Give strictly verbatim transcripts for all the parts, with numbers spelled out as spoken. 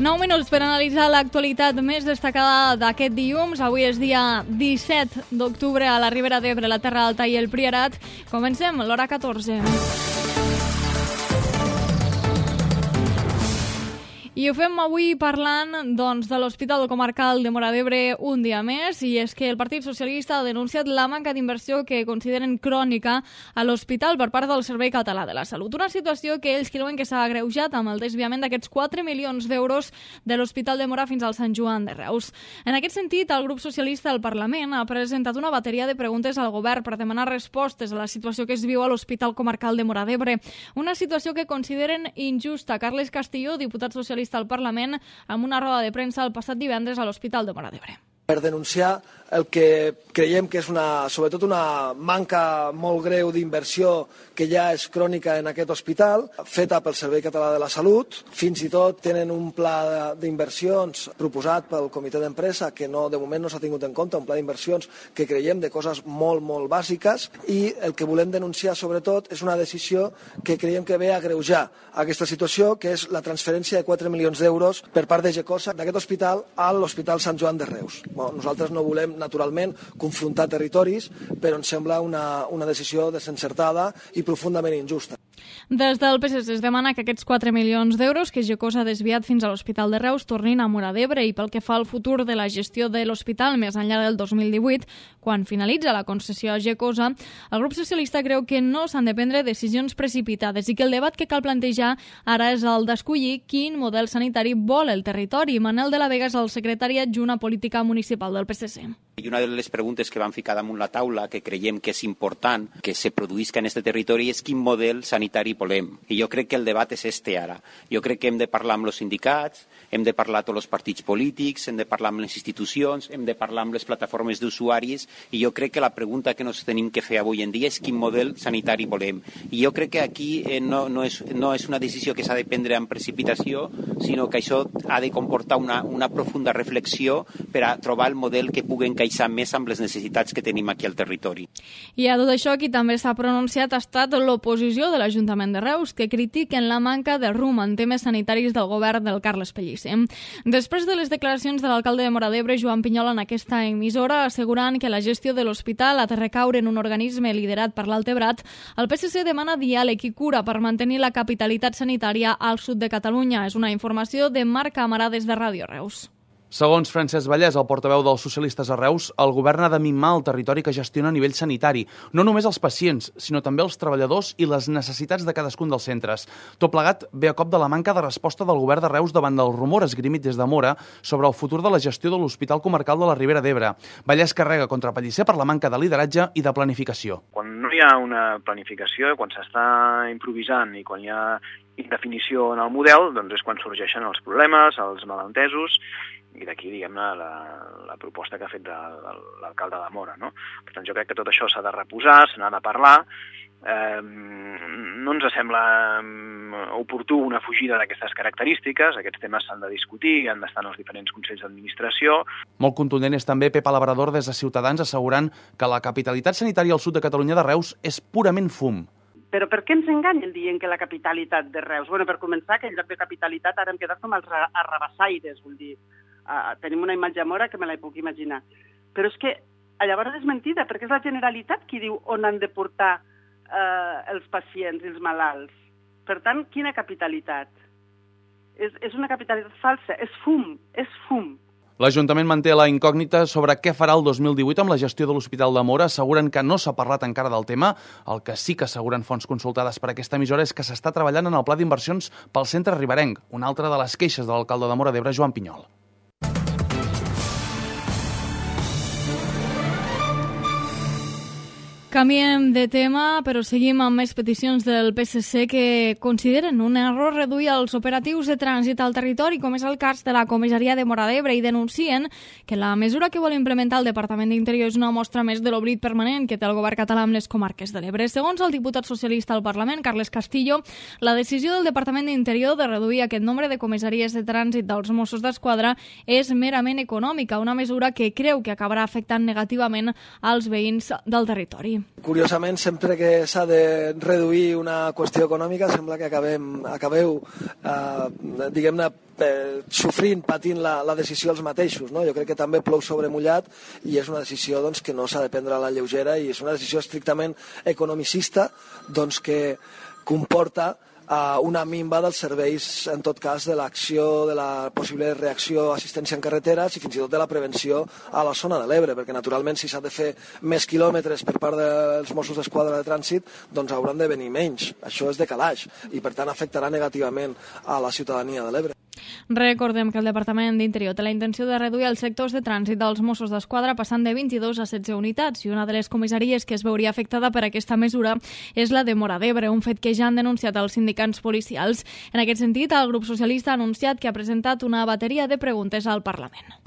nou minuts per analitzar l'actualitat més destacada d'aquest dilluns. Avui és dia disset d'octubre a la Ribera d'Ebre, la Terra Alta i el Priorat. Comencem l'hora catorze. I ho fem avui parlant doncs, de l'Hospital Comarcal de Móra d'Ebre un dia més, i és que el Partit Socialista ha denunciat la manca d'inversió que consideren crònica a l'hospital per part del Servei Català de la Salut. Una situació que ells creuen que s'ha agreujat amb el desviament d'aquests quatre milions d'euros de l'Hospital de Móra fins al Sant Joan de Reus. En aquest sentit, el grup socialista al Parlament ha presentat una bateria de preguntes al govern per demanar respostes a la situació que es viu a l'Hospital Comarcal de Móra d'Ebre. Una situació que consideren injusta. Carles Castillo, diputat socialista al Parlament, amb una roda de premsa el passat divendres a l'Hospital de Móra d'Ebre. Per denunciar el que creiem que és una, sobretot una manca molt greu d'inversió que ja és crònica en aquest hospital, feta pel Servei Català de la Salut. Fins i tot tenen un pla d'inversions proposat pel comitè d'empresa que no, de moment no s'ha tingut en compte, un pla d'inversions que creiem de coses molt, molt bàsiques, i el que volem denunciar sobretot és una decisió que creiem que ve a agreujar aquesta situació, que és la transferència de quatre milions d'euros per part de Gecosa d'aquest hospital a l'Hospital Sant Joan de Reus. Bueno, nosaltres no volem, naturalment, confrontar territoris, però ens sembla una, una decisió desencertada i profundament injusta. Des del P S C es demana que aquests quatre milions d'euros que Gecosa ha desviat fins a l'Hospital de Reus tornin a Móra d'Ebre, i pel que fa al futur de la gestió de l'hospital més enllà del dos mil divuit, quan finalitza la concessió a Gecosa, el grup socialista creu que no s'han de prendre decisions precipitades i que el debat que cal plantejar ara és el d'escollir quin model sanitari vol el territori. Manel de la Vega és el secretari adjunt a Política Municipal del P S C. I una de les preguntes que vam ficar damunt la taula, que creiem que és important que se produïsca en aquest territori, és quin model sanitari volem. I jo crec que el debat és este ara. Jo crec que hem de parlar amb els sindicats, hem de parlar amb tots els partits polítics, hem de parlar amb les institucions, hem de parlar amb les plataformes d'usuaris, i jo crec que la pregunta que ens tenim que fer avui en dia és quin model sanitari volem. I jo crec que aquí eh, no, no, és, no és una decisió que s'ha de prendre amb precipitació, sinó que això ha de comportar una, una profunda reflexió per a trobar el model que pugui encaixar més amb les necessitats que tenim aquí al territori. I a tot això, qui també s'ha pronunciat ha estat l'oposició de l'Ajuntament de Reus, que critiquen la manca de rumb en temes sanitaris del govern del Carles Pellicer. Després de les declaracions de l'alcalde de Móra d'Ebre, Joan Pinyol, en aquesta emissora, assegurant que la gestió de l'hospital ha de recaure en un organisme liderat per l'Altebrat, el P S C demana diàleg i cura per mantenir la capitalitat sanitària al sud de Catalunya. És una informació de Marc Camarà des de Ràdio Reus. Segons Francesc Vallès, el portaveu dels socialistes a Reus, el govern ha de mimar el territori que gestiona a nivell sanitari, no només els pacients, sinó també els treballadors i les necessitats de cadascun dels centres. Tot plegat ve a cop de la manca de resposta del govern de Reus davant del rumor esgrimit des de Móra sobre el futur de la gestió de l'Hospital Comarcal de la Ribera d'Ebre. Vallès carrega contra Pellicer per la manca de lideratge i de planificació. Quan no hi ha una planificació, quan s'està improvisant i quan hi ha indefinició en el model, doncs és quan sorgeixen els problemes, els malentesos, i d'aquí, diguem-ne, la, la proposta que ha fet de, de l'alcalde de Móra, no? Per tant, jo crec que tot això s'ha de reposar, se n'ha de parlar. Eh, no ens sembla oportú una fugida d'aquestes característiques, aquests temes s'han de discutir, han d'estar en els diferents consells d'administració. Molt contundent és també Pepa Labrador des de Ciutadans, assegurant que la capitalitat sanitària al sud de Catalunya de Reus és purament fum. Però per què ens enganyen dient que la capitalitat de Reus? Bueno, per començar, que en lloc de capitalitat ara hem quedat com els arrabassaires, vull dir, uh, tenim una imatge a Móra que me la puc imaginar. Però és que llavors és mentida, perquè és la Generalitat qui diu on han de portar uh, els pacients i els malalts. Per tant, quina capitalitat? És, és una capitalitat falsa, és fum, és fum. L'Ajuntament manté la incògnita sobre què farà el dos mil divuit amb la gestió de l'Hospital de Móra. Asseguren que no s'ha parlat encara del tema. El que sí que asseguren fonts consultades per aquesta emissora és que s'està treballant en el pla d'inversions pel centre riberenc, una altra de les queixes de l'alcalde de Móra d'Ebre, Joan Pinyol. Canviem de tema, però seguim amb més peticions del P S C que consideren un error reduir els operatius de trànsit al territori, com és el cas de la comissaria de Móra d'Ebre, i denuncien que la mesura que vol implementar el Departament d'Interior és una mostra més de l'oblit permanent que té el govern català amb les comarques de l'Ebre. Segons el diputat socialista al Parlament, Carles Castillo, la decisió del Departament d'Interior de reduir aquest nombre de comissaries de trànsit dels Mossos d'Esquadra és merament econòmica, una mesura que creu que acabarà afectant negativament als veïns del territori. Curiosament, sempre que s'ha de reduir una qüestió econòmica, sembla que acabem, acabeu, eh, diguem-ne, eh, sofrint, patint la, la decisió els mateixos. No? Jo crec que també plou sobre mullat i és una decisió doncs, que no s'ha de prendre a la lleugera i és una decisió estrictament economicista doncs, que comporta Uh, una minva dels serveis, en tot cas, de l'acció, de la possible reacció, assistència en carreteres i fins i tot de la prevenció a la zona de l'Ebre, perquè naturalment si s'ha de fer més quilòmetres per part dels Mossos d'Esquadra de trànsit, doncs hauran de venir menys. Això és de calaix i per tant afectarà negativament a la ciutadania de l'Ebre. Recordem que el Departament d'Interior té la intenció de reduir els sectors de trànsit dels Mossos d'Esquadra passant de vint-i-dos a setze unitats i una de les comissaries que es veuria afectada per aquesta mesura és la de Móra d'Ebre, un fet que ja han denunciat els sindicats policials. En aquest sentit, el grup socialista ha anunciat que ha presentat una bateria de preguntes al Parlament.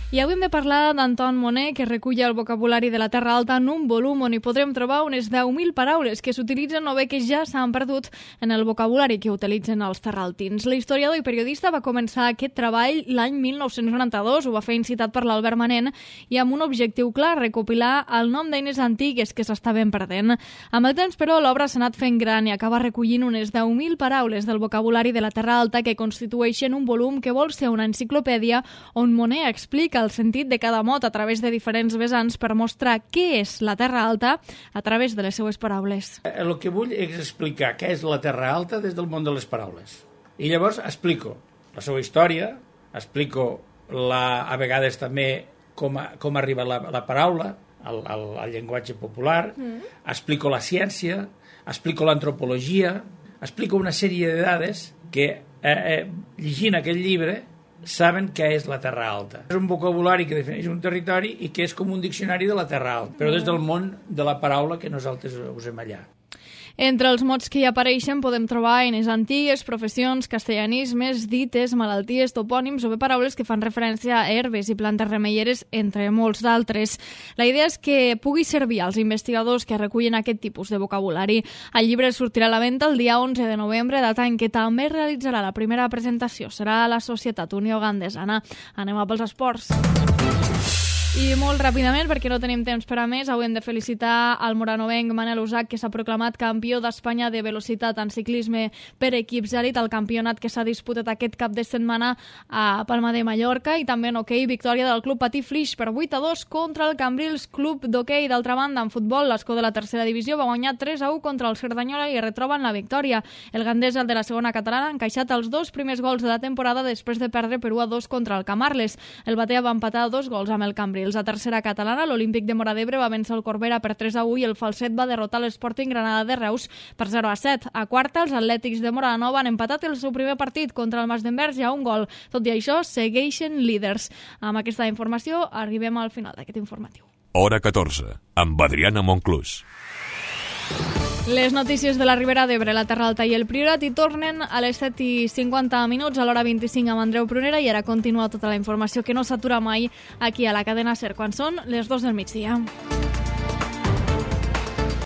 I avui hem de parlar d'Anton Monet, que recull el vocabulari de la Terra Alta en un volum on hi podrem trobar unes deu mil paraules que s'utilitzen o bé que ja s'han perdut en el vocabulari que utilitzen els terraltins. L'historiador i periodista va començar aquest treball l'any mil nou-cents noranta-dos, ho va fer incitat per l'Albert Manent i amb un objectiu clar, recopilar el nom d'eines antigues que s'estaven perdent. Amb el temps, però, l'obra s'ha anat fent gran i acaba recollint unes deu mil paraules del vocabulari de la Terra Alta que constitueixen un volum que vol ser una enciclopèdia on Monet explica el sentit de cada mot a través de diferents vessants per mostrar què és la Terra Alta a través de les seues paraules. El que vull és explicar què és la Terra Alta des del món de les paraules. I llavors explico la seva història, explico la, a vegades també com, a, com arriba la, la paraula al, al, al llenguatge popular, mm. explico la ciència, explico l'antropologia, explico una sèrie de dades que, eh, eh, llegint aquest llibre, saben què és la Terra Alta. És un vocabulari que defineix un territori i que és com un diccionari de la Terra Alta, però des del món de la paraula que nosaltres usem allà. Entre els mots que hi apareixen podem trobar eines antigues, professions, castellanismes, dites, malalties, topònims o bé paraules que fan referència a herbes i plantes remeieres, entre molts d'altres. La idea és que pugui servir als investigadors que recullen aquest tipus de vocabulari. El llibre sortirà a la venda el dia onze de novembre, data en què també realitzarà la primera presentació. Serà a la Societat Unió Gandesana. Anem a pels esports. I molt ràpidament, perquè no tenim temps per a més, avui hem de felicitar el moranovenc Manel Usac, que s'ha proclamat campió d'Espanya de velocitat en ciclisme per equips elit, el campionat que s'ha disputat aquest cap de setmana a Palma de Mallorca, i també en hoquei, victòria del Club Patí Flix per vuit a dos contra el Cambrils Club d'Hoquei. D'altra banda, en futbol, l'Escó de la tercera divisió va guanyar tres a u contra el Cerdanyola i retroben la victòria. El Gandesa, el de la segona catalana, ha encaixat els dos primers gols de la temporada després de perdre per u a dos contra el Camarles. El Batea va empatar dos gols amb el Cambrils. A tercera catalana, l'Olímpic de Móra d'Ebre va vèncer el Corbera per tres a u i el Falset va derrotar l'Sporting Granada de Reus per zero a set. A quarta, els Atlètics de Móra Nova han empatat el seu primer partit contra el Mas d'Envers i a un gol. Tot i això, segueixen líders. Amb aquesta informació arribem al final d'aquest informatiu. Hora catorze, amb Adriana Monclús. Les notícies de la Ribera d'Ebre, la Terra Alta i el Priorat hi tornen a les set i cinquanta minuts, a l'hora vint-i-cinc amb Andreu Prunera, i ara continua tota la informació que no s'atura mai aquí a la cadena SER quan són les dos del migdia.